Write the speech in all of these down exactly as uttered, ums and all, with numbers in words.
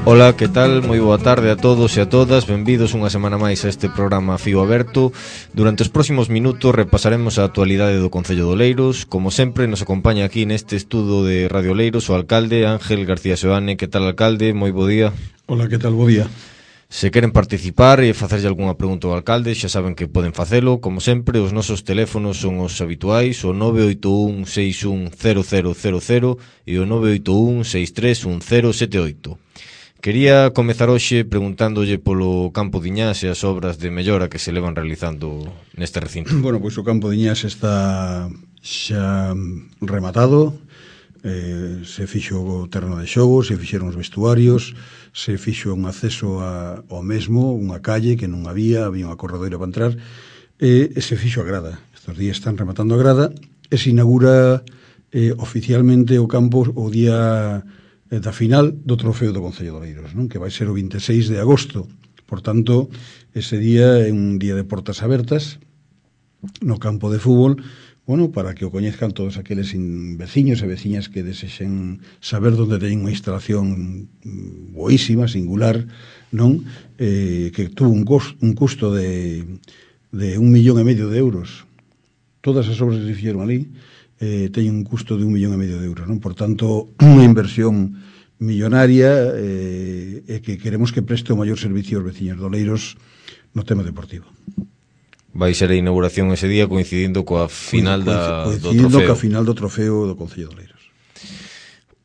Ola, que tal? Moi boa tarde a todos e a todas. Benvidos unha semana máis a este programa Fío Aberto. Durante os próximos minutos repasaremos a actualidade do Concello de Oleiros. Como sempre, nos acompaña aquí neste estudo de Radio Oleiros o alcalde Ángel García Seoane. Que tal, alcalde? Moi bo día. Ola, que tal? Bo día. Se queren participar e facerlle algunha pregunta ao alcalde, xa saben que poden facelo. Como sempre, os nosos teléfonos son os habituais, o nove oito un seis un cero cero cero cero e o nove oito un seis tres un cero sete oito. Quería comezar hoxe preguntándolle polo Campo de Iñás e as obras de mellora que se levan realizando neste recinto. Bueno, pois o Campo de Iñás está xa rematado, eh, se fixo o terreno de xogo, se fixeron os vestuarios, se fixo un acceso a, ao mesmo, unha calle que non había, había unha corredoira para entrar, e, e se fixo a grada. Estos días están rematando a grada e se inaugura eh, oficialmente o campo o día da final do trofeo do Concello de Oleiros, non? Que vai ser o vinte e seis de agosto. Por tanto, ese día é un día de portas abertas no campo de fútbol, bueno, para que o coñezcan todos aqueles veciños e veciñas que desexen saber onde teñen unha instalación boísima, singular, non? Eh, que tuvo un, costo, un custo de, de un millón e medio de euros. Todas as obras que se fixeron ali Eh, teñen un custo de un millón e medio de euros, non? Por tanto, unha inversión millonaria eh, e que queremos que preste o maior servicio aos veciños de Oleiros no tema deportivo. Vai ser a inauguración ese día coincidindo coa final da, do trofeo. Coincidindo coa final do trofeo do Concello de Oleiros.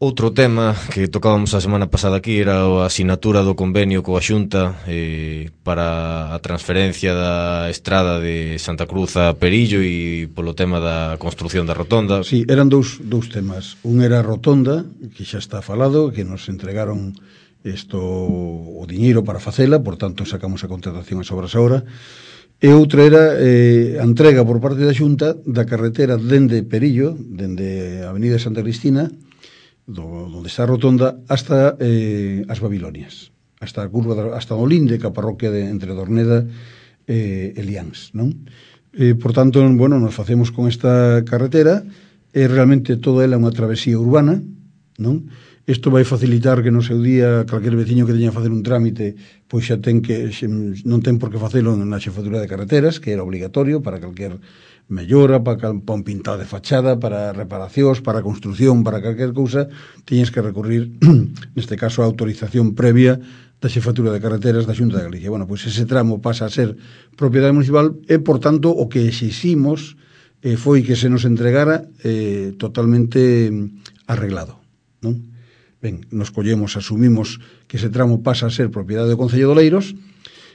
Outro tema que tocábamos a semana pasada aquí era a asinatura do convenio coa Xunta eh, para a transferencia da estrada de Santa Cruz a Perillo e polo tema da construción da rotonda. Sí, eran dous, dous temas. Un era a rotonda, que xa está falado, que nos entregaron isto, o diñeiro para facela, por tanto sacamos a contratación as obras ahora. E outra era eh, a entrega por parte da Xunta da carretera dende Perillo, dende a Avenida Santa Cristina, do, onde está a rotonda, hasta eh, as Babilonias, hasta a curva, da, hasta o linde que a parroquia de, entre Dorneda e eh, Eliáns, non? Eh, por tanto, bueno, nos facemos con esta carretera e realmente toda ela é unha travesía urbana, non? Isto vai facilitar que no seu día calquer veciño que teña a facer un trámite pois xa ten que non ten por que facelo na xefatura de carreteras, que era obligatorio para calquer mellora, para, para un pintado de fachada, para reparacións, para construción, para calquer cousa, tiñes que recurrir, neste caso, a autorización previa da xefatura de carreteras da Xunta de Galicia. Bueno, pois ese tramo pasa a ser propiedade municipal e, por tanto, o que exiximos eh, foi que se nos entregara eh, totalmente arreglado, non? Ben, nos collemos, asumimos que ese tramo pasa a ser propiedade do Concello de Oleiros,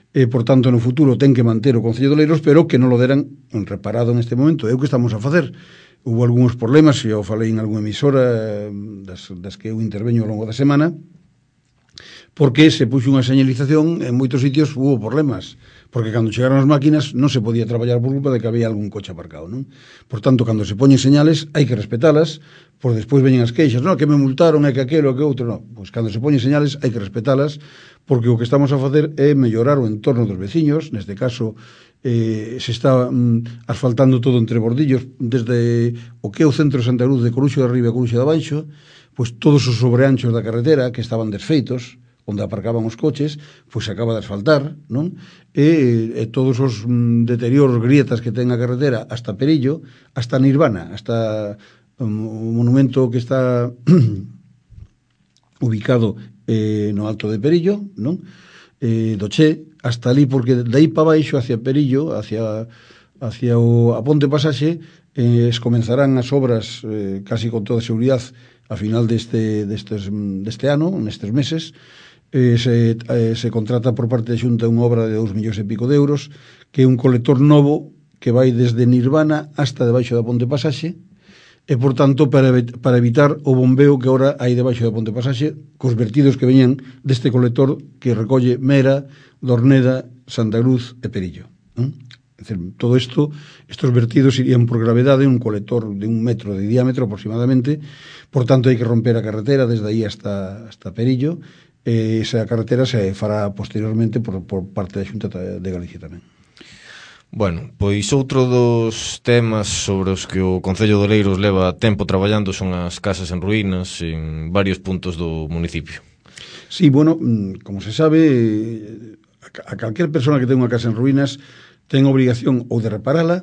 e, por tanto, no futuro ten que manter o Concello de Oleiros, pero que non lo deran reparado neste momento. É o que estamos a facer. Hubo algúns problemas, e eu falei en algunha emisora das, das que eu interveño ao longo da semana, porque se puxo unha señalización, en moitos sitios hubo problemas, porque cando chegaron as máquinas non se podía traballar por culpa de que había algún coche aparcado, non? Por tanto, cando se poñen señales, hai que respetalas, por despois veñen as queixas, non, que me multaron, é que aquelo, que outro, non. Pois cando se poñen señales, hai que respetalas, porque o que estamos a facer é mellorar o entorno dos veciños, neste caso, eh, se está mm, asfaltando todo entre bordillos, desde o que é o centro de Santa Cruz de Coruxo de Arriba e Coruxo de Abaixo, pois todos os sobreanchos da carretera que estaban desfeitos, onde aparcaban os coches, pois se acaba de asfaltar, non? E, e todos os mm, deterioros, grietas que ten a carretera hasta Perillo, hasta Nirvana, hasta um, o monumento que está ubicado eh, no alto de Perillo, non? Eh, do Che, hasta ali, porque de aí para baixo, hacia Perillo, hacia, hacia o, a Ponte Pasaxe, eh, es comenzarán as obras eh, casi con toda seguridade a final deste, destes, deste ano, nestes meses. Eh, se, eh, se contrata por parte da Xunta unha obra de dous millóns e pico de euros, que é un colector novo que vai desde Nirvana hasta debaixo da Ponte Pasaxe, e, por tanto, para, para evitar o bombeo que agora hai debaixo da Ponte Pasaxe, cos vertidos que veñan deste colector que recolle Mera, Dorneda, Santa Cruz e Perillo, non? É dicir, todo isto, estos vertidos irían por gravedade, un colector de un metro de diámetro aproximadamente, por tanto hai que romper a carretera desde aí hasta, hasta Perillo, e esa carretera se fará posteriormente por, por parte da Xunta de Galicia tamén. Bueno, pois outro dos temas sobre os que o Concello de Oleiros leva tempo traballando son as casas en ruínas en varios puntos do municipio. Sí, bueno, como se sabe, a calquer persona que ten unha casa en ruínas ten obrigación ou de reparala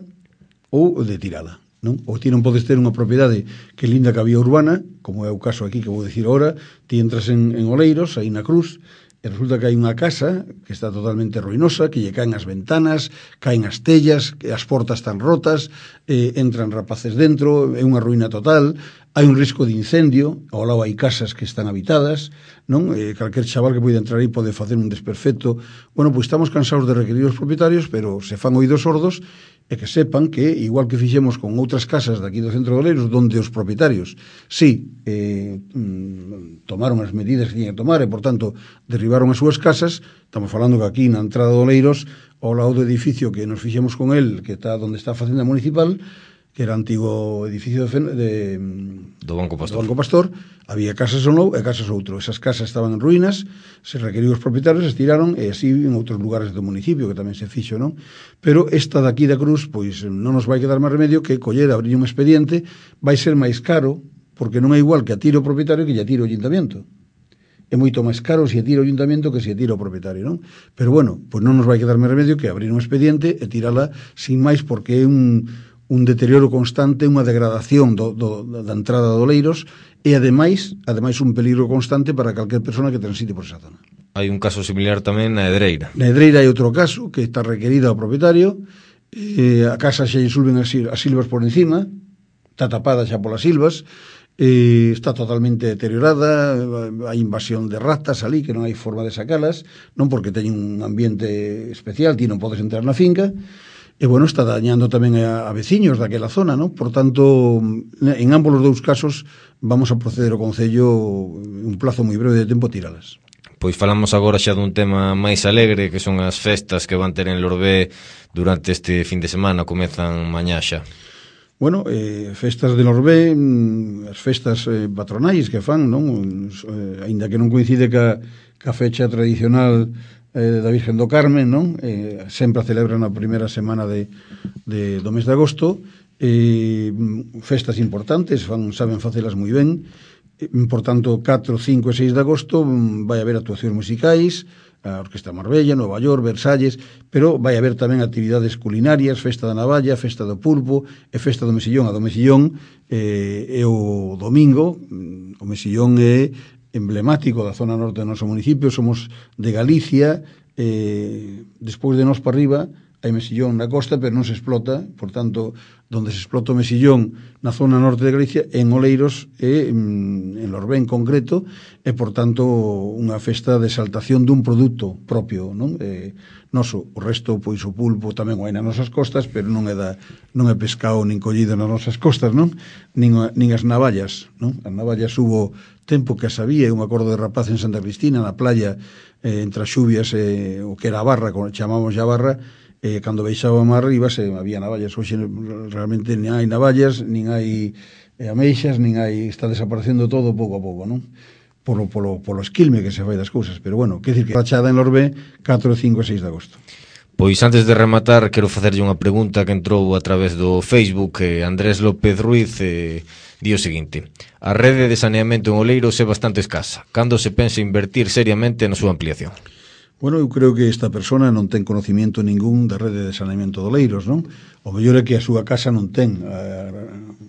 ou de tirala, non? Ou ti non podes ter unha propiedade que linda que había urbana, como é o caso aquí que vou dicir agora, ti entras en, en Oleiros, aí na Cruz, e resulta que hai unha casa que está totalmente ruinosa, que lle caen as ventanas, caen as tellas, que as portas están rotas, eh, entran rapaces dentro, é unha ruína total, hai un risco de incendio, ao lado hai casas que están habitadas, non? Eh, calquer chaval que poida entrar aí pode facer un desperfecto. Bueno, pois estamos cansados de requerir os propietarios, pero se fan oídos sordos, e que sepan que, igual que fixemos con outras casas daqui do centro de Oleiros, donde os propietarios, sí, eh, tomaron as medidas que tiñan que tomar, e, por tanto, derribaron as súas casas, estamos falando que aquí na entrada de Oleiros, ao lado do edificio que nos fixemos con el, que está onde está a Facenda Municipal, que era antigo edificio de, de, do Banco Pastor. do Banco Pastor, había casas un lado e casas outro. Esas casas estaban en ruínas, se requeriu os propietarios, se tiraron, e así en outros lugares do municipio, que tamén se fixo, non? Pero esta daqui da Cruz, pois non nos vai quedar máis remedio que coller, abrir un expediente, vai ser máis caro, porque non é igual que a tire o propietario que lle tire o ayuntamiento. É moito máis caro se tira o ayuntamiento que se tira o propietario, non? Pero bueno, pois non nos vai quedar máis remedio que abrir un expediente e tirala sin máis, porque é un un deterioro constante, unha degradación do, do, da entrada de Oleiros e ademais, ademais un peligro constante para calquer persona que transite por esa zona. Hai un caso similar tamén na Edreira. Na Edreira hai outro caso que está requerido ao propietario, eh, a casa xa lle sulven as, as silvas por encima, está tapada xa polas silvas, eh, está totalmente deteriorada, hai invasión de ratas ali que non hai forma de sacalas, non porque teñen un ambiente especial, ti non podes entrar na finca. E, bueno, está dañando tamén a, a veciños daquela zona, non? Por tanto, en ambos os dous casos vamos a proceder ao Concello un plazo moi breve de tempo a tiralas. Pois falamos agora xa dun tema máis alegre, que son as festas que van ter en Lorbé durante este fin de semana, comezan mañá xa. Bueno, eh, festas de Lorbé, as festas eh, patronais que fan, non? Eh, aínda que non coincide ca, ca fecha tradicional eh, da Virgen do Carmen, non? Eh, sempre a celebran a primeira semana de, de, do mes de agosto, eh, festas importantes, fan, saben facelas moi ben, eh, por tanto, catro, cinco e seis de agosto vai haber actuacións musicais, a Orquesta Marbella, Nova York, Versalles, pero vai haber tamén actividades culinarias, festa da navalla, festa do pulpo e festa do mesillón. A do mesillón eh, é o domingo, o mesillón é emblemático da zona norte do noso municipio, somos de Galicia, eh, despois de nós para arriba hai mesillón na costa, pero non se explota, por tanto, donde se explota o mesillón na zona norte de Galicia, en Oleiros e en Lorbé en concreto, e, por tanto, unha festa de exaltación dun produto propio, non? Eh, noso, o resto, pois, o pulpo tamén o hai nas nosas costas, pero non é da, non é pescado nin collido nas nosas costas, non? Nin, nin as navallas, non? As navallas hubo tempo que as había, eu me acordo de rapaz en Santa Cristina, na playa, eh, entre as xubias, eh, o que era a barra, como chamamos a barra, eh, cando baixaba mar arriba se había navallas. Hoxe realmente nin hai navallas, nin hai eh, ameixas, nin hai, está desaparecendo todo pouco a pouco, non? Polo, polo, polo esquilme que se fai das cousas, pero bueno, quer dicir que rachada en Lorbé catro, cinco e seis de agosto. Pois antes de rematar, quero facerlle unha pregunta que entrou a través do Facebook, eh, Andrés López Ruiz, eh, di o seguinte: a rede de saneamento en Oleiros é bastante escasa. Cando se pensa invertir seriamente na súa ampliación? Bueno, eu creo que esta persona non ten conocimiento ningún da rede de saneamento de Oleiros, non? O mellor é que a súa casa non ten a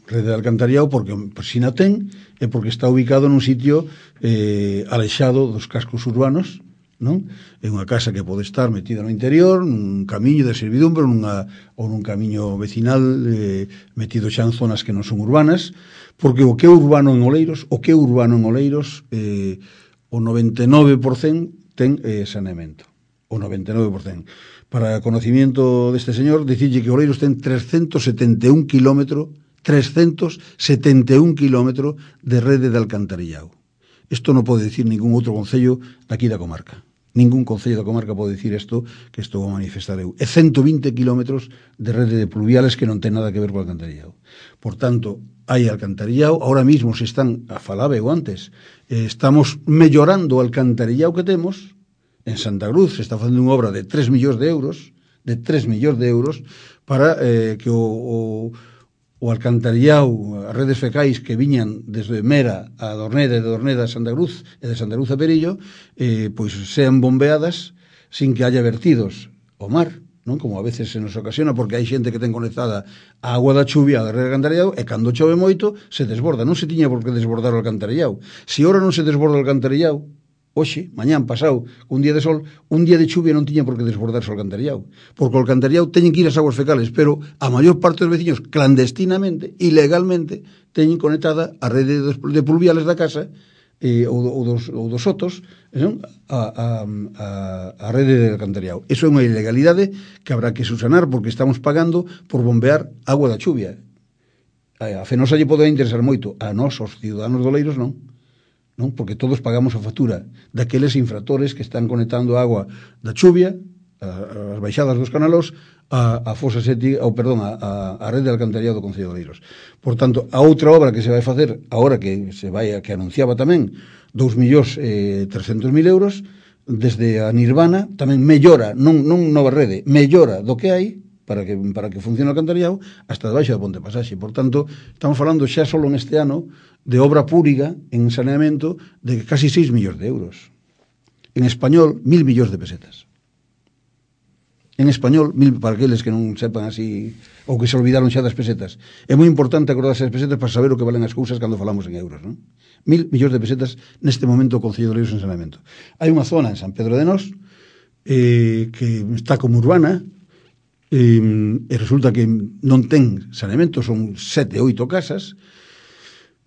rede de alcantarillado, porque se non ten é porque está ubicado nun sitio eh, alexado dos cascos urbanos, non? É unha casa que pode estar metida no interior, nun camiño de servidumbre, nunha, ou nun camiño vecinal eh, metido xa en zonas que non son urbanas, porque o que é urbano en Oleiros, o que é urbano en Oleiros, eh, o noventa e nove por cento ten eh, saneamento, o noventa e nove por cento. Para conocimiento deste señor, dicirlle que Oleiros ten trescentos setenta e un kilómetros, trescentos setenta e un kilómetros de rede de alcantarillado. Isto non pode dicir ningún outro concello daqui da comarca. Ningún concello da comarca pode dicir isto que estou a manifestar eu. É ciento vinte kilómetros de rede de pluviales que non ten nada que ver co alcantarillado. Por tanto, hai alcantarillado, ahora mismo se están, a falaba eu antes, eh, estamos mellorando o alcantarillado que temos. En Santa Cruz se está facendo unha obra de tres millóns de euros, de tres millóns de euros, para eh, que o, o, o alcantarillao, as redes fecais que viñan desde Mera a Dorneda e de Dorneda a Santa Cruz e de Santa Cruz a Perillo, eh, pois sean bombeadas sin que haya vertidos ao mar, non? Como a veces se nos ocasiona, porque hai xente que ten conectada a agua da chuvia a rede de alcantarillado e cando chove moito se desborda, non se tiña por que desbordar o alcantarillado. Se ora non se desborda o alcantarillado, hoxe, mañán, pasado, un día de sol, un día de chuvia non tiña por que desbordarse o alcantarillado, porque o alcantarillado teñen que ir as aguas fecales, pero a maior parte dos veciños clandestinamente, ilegalmente, teñen conectada a rede de pluviales da casa eh, ou, ou, dos, ou dos sotos, non? A, a, a, a rede de alcantarillado. Eso é unha ilegalidade que habrá que subsanar porque estamos pagando por bombear agua da chuvia. A Fenosa lle pode interesar moito, a nós, os ciudadanos doleiros, non. Non? Porque todos pagamos a factura daqueles infractores que están conectando a agua da chuvia, a, as baixadas dos canalos, a, a fosa séptica, ou perdón, a, a, a rede de alcantarillado do Concello de Oleiros. Por tanto, a outra obra que se vai facer, agora que se vai, que anunciaba tamén, dous millóns trescentos mil euros, desde a Nirvana, tamén mellora, non, non nova rede, mellora do que hai, para que, para que funcione o alcantarillado, hasta debaixo da Ponte Pasaxe. Por tanto, estamos falando xa solo neste ano de obra pública en saneamento de casi seis millóns de euros. En español, mil millóns de pesetas. En español, mil, para aqueles que non sepan así, ou que se olvidaron xa das pesetas. É moi importante acordarse das pesetas para saber o que valen as cousas cando falamos en euros, non? Mil millóns de pesetas neste momento o Concello de Oleiros en saneamento. Hai unha zona en San Pedro de Nós eh, que está como urbana, e, e resulta que non ten saneamento, son sete, oito casas.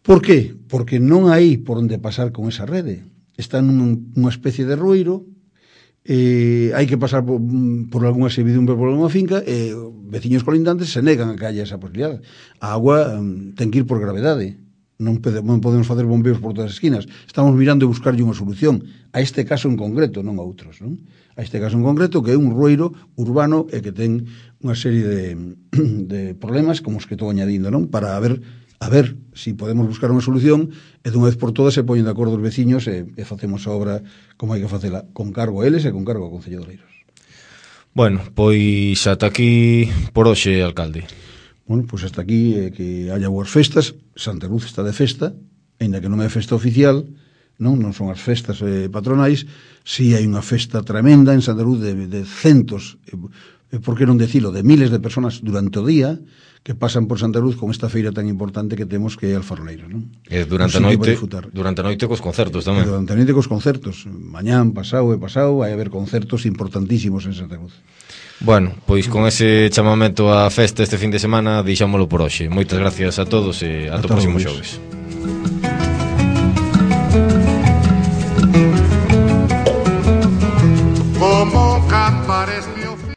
Por qué? Porque non hai por onde pasar con esa rede. Está nunha especie de rueiro, eh, hai que pasar por, por algunha servidumbre, por algunha finca, e veciños colindantes se negan a que haya esa posibilidad. A agua um, ten que ir por gravedade. Non, pede, non podemos facer bombeos por todas as esquinas. Estamos mirando de buscarlle unha solución a este caso en concreto, non a outros, non? A este caso en concreto, que é un rueiro urbano e que ten unha serie de, de problemas como os que estou añadindo, non? Para ver, a ver si podemos buscar unha solución e dunha vez por todas se poñen de acordo os veciños e, e facemos a obra como hai que facela, con cargo a eles e con cargo ao Concello de Oleiros. Bueno, pois ata aquí por hoxe, alcalde. Bueno, pois hasta aquí eh, que haya boas festas. Santa Cruz está de festa, aínda que non é festa oficial, non non son as festas eh, patronais, si hai unha festa tremenda en Santa Cruz de, de centos, eh, por que non decilo, de miles de personas durante o día que pasan por Santa Cruz con esta feira tan importante que temos que é Alfaroleiros, non? E durante a noite, durante a noite cos concertos tamén. E durante a noite cos concertos, mañán, pasado e pasado, vai haber concertos importantísimos en Santa Cruz. Bueno, pois con ese chamamento á festa este fin de semana deixámolo por hoxe. Moitas gracias a todos e ata o próximo xoves.